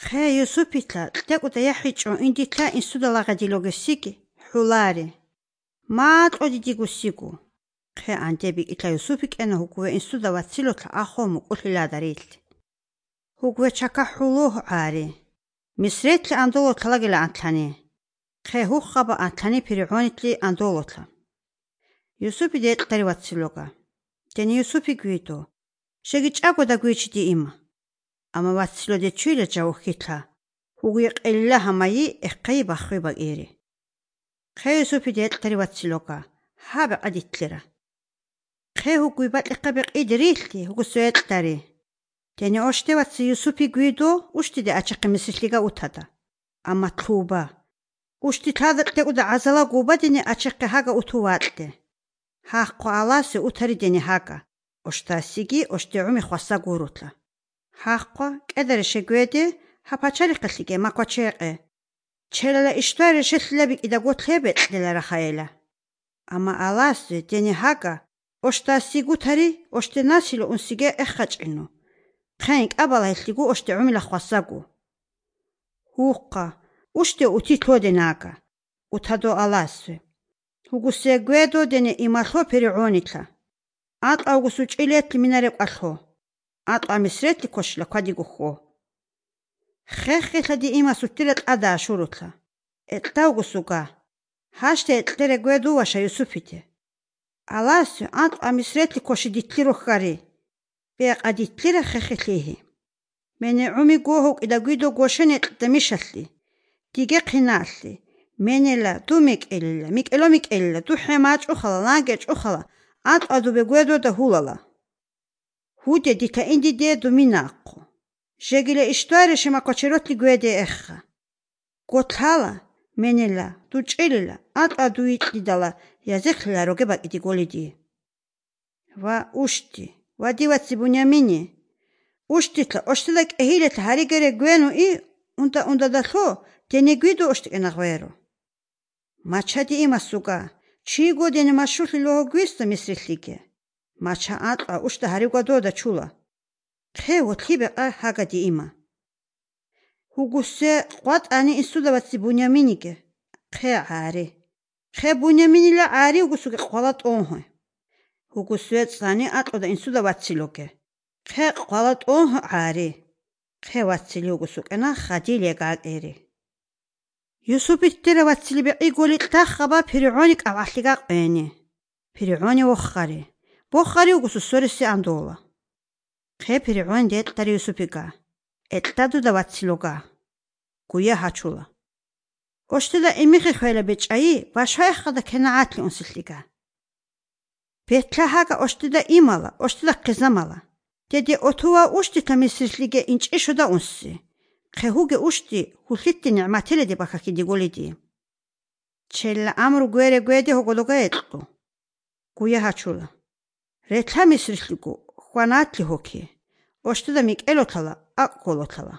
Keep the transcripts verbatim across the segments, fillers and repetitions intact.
ხე იუსუფიტლა ტეკუტა იაჰიჭო ინდიტლა ინსუდა ლაღადილოგესიკი ჰულარი მაატყოდი დიგუსიკუ ხე ანტები იტლა იუსუფი კენა ჰუგუე ინსუდა ვაცილოთლა ახომუ ყულილადარილთი ჰუგუე ჩაკა ჰულუჰ არი მისრეთლი ანდოლოთლა ლაგელა ანთლანი ხე ჰუხაბა ანთლანი ფირიღონიტლი ანდოლოთლა იუსუფი დეტყდარი ვაცილოგა დენი იუსუფი გვიდო შეგიჭაგოდა გვიჩდი იმა ამა ვაცილო დე ჩვილა ჯაუხიტლა ჰუგუე ყელილა ჰამაი ეყაი ბახვება ერი ხე იუსუფი დეტყდარი ვაცილოგა ჰაბა ყადიტლერა ხე ჰუგუე ბატყაბე ყიდრილთი ჰუგუსუეტყდარი დენი ოშტე ვაცი იუსუფი გვიდო უშტიდე აჩაყი მისლიგა უთადა ამა თუბა უშტი თადყდე უდა აზალა გუბა დენი აჩაყი ჰაგა უთუატდე ჰაყყო ალასე უთარი დენი ჰაგა ოშტასიგი ოშტე უმი ხვასა გურუთლა ჰაყყო კედერე შეგვედი ჰაფაჩარი ყლიგე მაკვაჩეყე ჩელალა იშტარი შეშლები კიდა გოთლebe ყდელა რახაელა ამა ალასე დენი ჰაგა ოშტასიგი უთარი ოშტე ნასილო უნსიგე ეხაჭინო ხენ ყაბალა ეხლიგუ ოშტე უმი ლახვასაგუ ჰუყყა უშტე უთითლოდე ნაგა უთადო ალასე ჰუგუსე გვედო დენი იმალხო ფერიონიტლა ატყა უგუსუ ჭილეთლი მინარე ყალხო ატყა მისრეთლი ქოშლა ქვადიგუხო ხეხეხადი იმას უთირე ყადა შურუთლა ეტდა უგუსუგა ჰაშტე ეტლერე გვედო ვაშა იუსუფიტე ალასე ატყა მისრეთლი ქოში დითლირო ხარი ბეყადითლირა ხეხეხლიჰი მენე უმი გოჰო ყიდა გვიდო გოშენე ყდა მიშალli dige qinalli menela du mik'elila mik'elo mik'elila du hemaç uxala langeç uxala atqadu begwedo da hulala hude dita indi de du minaqo jegile ishtare shemakocherotli gwede ekha gothala menela du ç'elila atqadu itlidala yazıkhla roge bakidi golidi va ushti va divatsi bunyamini ushtitla oshtilak ehilet harigere gwenu i unda unda da tho deni guido oshti enagvero machadi imasuga chigo deni mashuli lo guista misrillige macha atqa ushta harigado da chula khe otlibe a hagadi ima huguse qat ani isuda vatsi bunyaminige khe ari khe bunyaminila ari hugusuge qalat onho huguse tsani atqa da isuda vatsi loge khe qalat onho ari khe vatsi hugusukena khadile gaqeri Yusufit tira vatsili beqi goli taxaba Fir'aunik avahliga qeni. Fir'auni wokhari. Bokhari ugusu sorisi andola. Qe Fir'aun det tari Yusufiga. Ettadu da vatsiloga. Guya hachula. Oshtila imikhi khwela bechai bashayxada kenaatli unsiliga. Betlahaga oshtida imala, oshtila qizamala. Dedi otuva ushtita misrislige inçishoda unsi. Xehuge ushti hullitti ni'matele de bakaki digolidi. Chella amru gwere gwede hogologa etqo. Guya hachula. Retla misrishligu khwanatli hoki. Oshtida mik'elotala aqkolotala.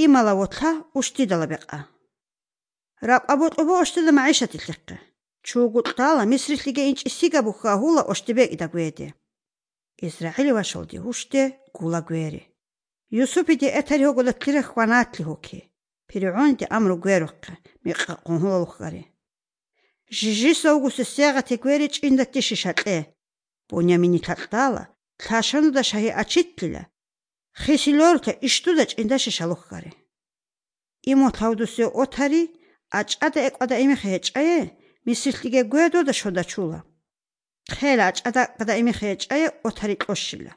Imala wotla ushti dala beqa. Raqabotlobo oshtida maishati liqqa. Chugutala misrishlige inchisiga bukha hula oshtibek ida gwede. Israeli washoldi ushte gula gwere. Yusufi de etari hogola tira khwanatli hoki. Fir'aun de amru gweruqqa miqqa qonholuqari. Jiji sogusu sega tegweri ç'inda tishishatle. Bunyamini tatala tashanu da shahi achitlila. Khisilorta ishtuda ç'inda shishaluqari. Imo tawdusi otari ach'ada eqada imi khech'aye misliga gwedo da shoda chula. Khela ach'ada qada imi khech'aye otari qoshila.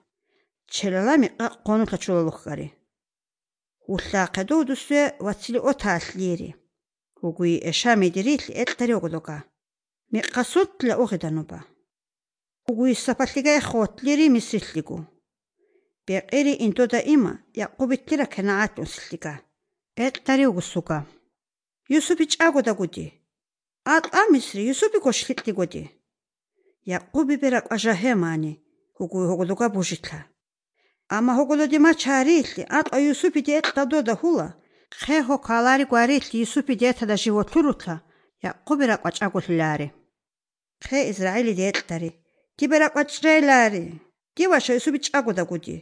Çelalami qonutla çulaluqari. Ullaqedo dusue vatsili otaaslieri. Hugui eshamediritli ettari ogologa. Miqasutla ogidanuba. Hugui sapatliga ekhotlieri misrilligu. Beqiri intoda ima yaqubittira kenaat unsliga. Ettari ogusuga. Yusufi ç'agoda gudi. Atqa misri Yusufi koshlitti gudi. Yaqubi berak ajahemani. Hugui ogologa bujitla. Ama hogolodi macharili atqa Yusufi de ettado da hula. Khe ho kalari gwarili Yusufi de etada jivoturutla. Yaqubira qachagulilari. Khe Israeli de ettari. Kibira qachrelari. Kiwasha Yusufi ç'agoda gudi.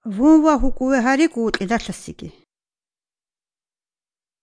Vunwa hukuwe hari gut idatlasigi.